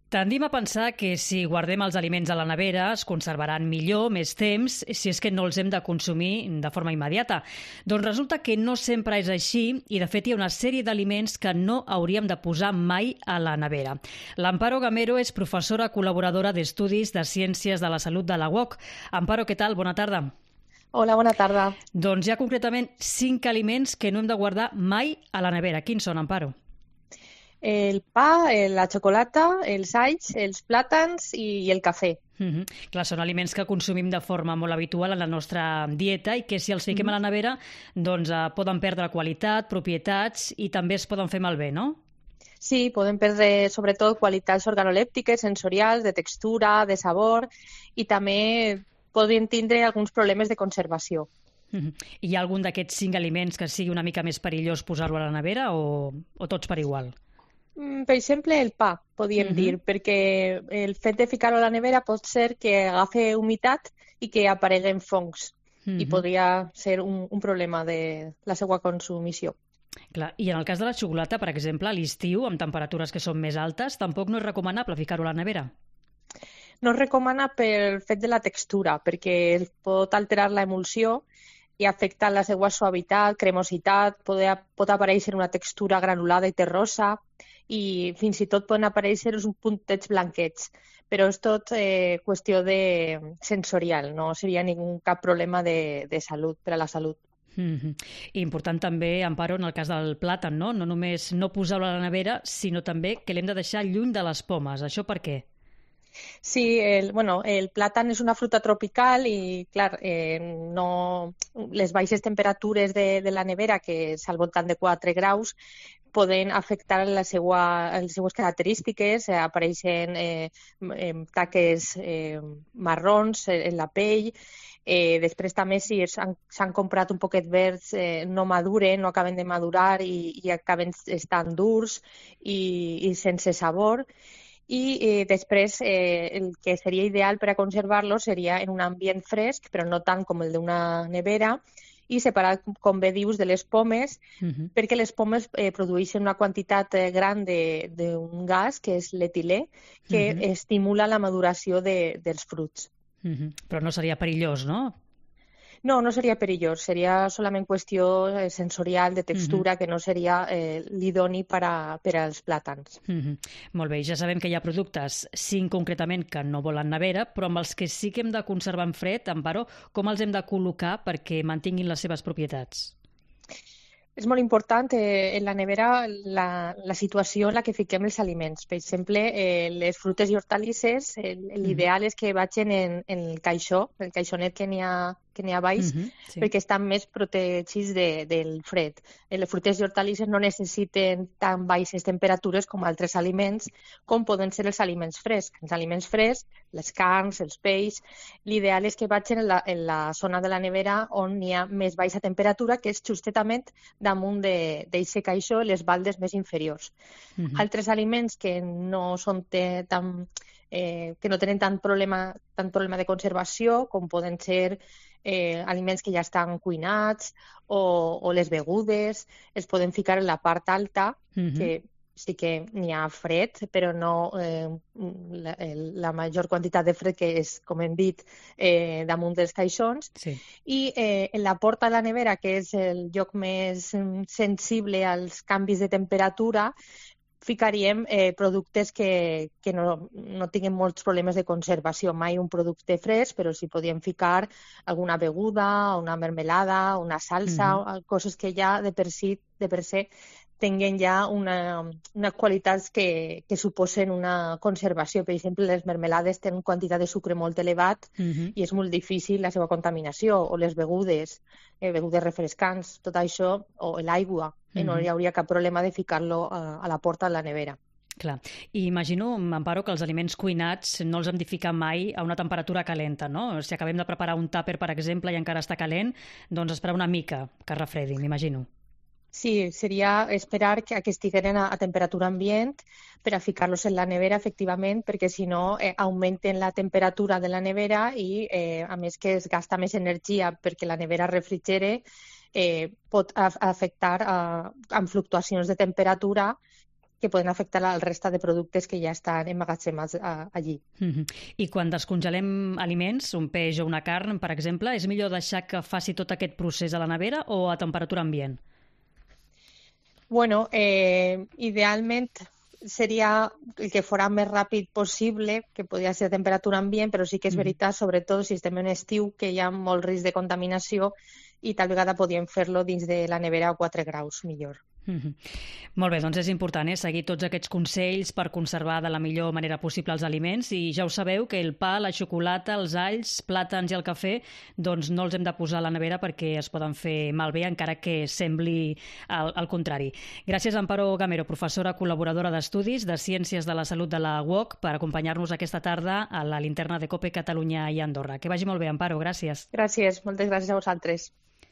Tendim a pensar que si guardem els aliments a la nevera es conservaran millor, més temps, si és que no els hem de consumir de forma immediata. Doncs resulta que no sempre és així i, de fet, hi ha una sèrie d'aliments que no hauríem de posar mai a la nevera. L'Amparo Gamero és professora col·laboradora d'Estudis de Ciències de la Salut de la UOC. Amparo, què tal? Bona tarda. Hola, bona tarda. Doncs hi ha concretament 5 aliments que no hem de guardar mai a la nevera. Quins són, Amparo? El pa, la xocolata, els alls, els plàtans i el cafè. Clar, són aliments que consumim de forma molt habitual en la nostra dieta i que si els fiquem a la nevera doncs poden perdre qualitat, propietats i també es poden fer malbé, no? Sí, poden perdre sobretot qualitats organolèptiques, sensorials, de textura, de sabor i també poden tindre alguns problemes de conservació. Hi ha algun d'aquests 5 aliments que sigui una mica més perillós posar-lo a la nevera o tots per igual? Per exemple, el pa, podríem dir, perquè el fet de ficar-lo a la nevera pot ser que agafi humitat i que apareguen fongs i podria ser un problema de la seva consumició. Clar, i en el cas de la xocolata, per exemple, a l'estiu, amb temperatures que són més altes, tampoc no és recomanable ficar-ho a la nevera? No es recomana pel fet de la textura, perquè pot alterar la emulsió i afecta la seva suavitat, cremositat, pot aparèixer una textura granulada i terrosa i fins i tot poden aparèixer uns puntets blanquets, però és tot qüestió sensorial, no seria cap problema de salut, per a la salut. I important també, Amparo, en el cas del plàtan, no? No només no posar-lo a la nevera, sinó també que l'hem de deixar lluny de les pomes. Això per què? Sí, el plàtan és una fruita tropical i, clar, les baixes temperatures de la nevera, que és al voltant de 4 graus, poden afectar les seues característiques, apareixen taques marrons en la pell. Després també si s'han comprat un poquet verds no maduren, no acaben de madurar i acaben estant durs i sense sabor. I després el que seria ideal per a conservar-los seria en un ambient fresc, però no tant com el d'una nevera, i separar, com bé dius, de les pomes, perquè les pomes produeixen una quantitat gran d'un gas, que és l'etilè, que estimula la maduració dels fruits. Però no seria perillós, no? No, no seria perillós, seria solament qüestió sensorial, de textura, que no seria l'idoni per als plàtans. Molt bé, ja sabem que hi ha productes, 5 concretament, que no volen nevera, però amb els que sí que hem de conservar en fred, Amparo, com els hem de col·locar perquè mantinguin les seves propietats? És molt important en la nevera la situació en la que fiquem els aliments. Per exemple, les frutes i hortalisses, l'ideal és que vagin en el caixó, el caixonet que n'hi ha baix, perquè estan més protegits del fred. Les frutes i hortalisses no necessiten tan baixes temperatures com altres aliments, com poden ser els aliments frescs. Els aliments frescs, les carns, els peixos, l'ideal és que vagin en la zona de la nevera on hi ha més baixa temperatura, que és justament damunt d'aquest caixó, les baldes més inferiors. Altres aliments que no són que no tenen tant problema de conservació, com poden ser aliments que ja estan cuinats o les begudes, es poden ficar en la part alta, que sí que n'hi ha fred, però no la major quantitat de fred que és, com hem dit, damunt dels caixons. Sí. I en la porta de la nevera, que és el lloc més sensible als canvis de temperatura, ficaríem productes que no tinguin molts problemes de conservació. Mai un producte fresc, però sí podíem ficar alguna beguda, una mermelada, una salsa, coses que ja de per si tinguen ja unes qualitats que suposen una conservació. Per exemple, les mermelades tenen quantitat de sucre molt elevat i és molt difícil la seva contaminació, o les begudes refrescants, tot això, o l'aigua. No hi hauria cap problema de ficar-lo a la porta de la nevera. Clar. I imagino, Amparo, que els aliments cuinats no els hem de ficar mai a una temperatura calenta, no? Si acabem de preparar un tàper, per exemple, i encara està calent, doncs esperar una mica que es refredi, m'imagino. Sí, seria esperar que estiguin a temperatura ambient per a ficar-los en la nevera, efectivament, perquè si no augmenten la temperatura de la nevera i, a més que es gasta més energia perquè la nevera refrigere, pot afectar amb fluctuacions de temperatura que poden afectar al resta de productes que ja estan emmagatzemats allí. I quan descongelem aliments, un peix o una carn, per exemple, és millor deixar que faci tot aquest procés a la nevera o a temperatura ambient? Bueno, idealment seria el que fora més ràpid possible, que podria ser a temperatura ambient, però sí que és veritat, sobretot si estem en estiu, que hi ha molt risc de contaminació i tal vegada podíem fer-lo dins de la nevera a 4 graus millor. Molt bé, doncs és important seguir tots aquests consells per conservar de la millor manera possible els aliments i ja ho sabeu que el pa, la xocolata, els alls, plàtans i el cafè doncs no els hem de posar a la nevera perquè es poden fer malbé encara que sembli el contrari. Gràcies Amparo Gamero, professora col·laboradora d'Estudis de Ciències de la Salut de la UOC, per acompanyar-nos aquesta tarda a la linterna de COPE Catalunya i Andorra. Que vagi molt bé, Amparo, gràcies. Gràcies, moltes gràcies a vosaltres.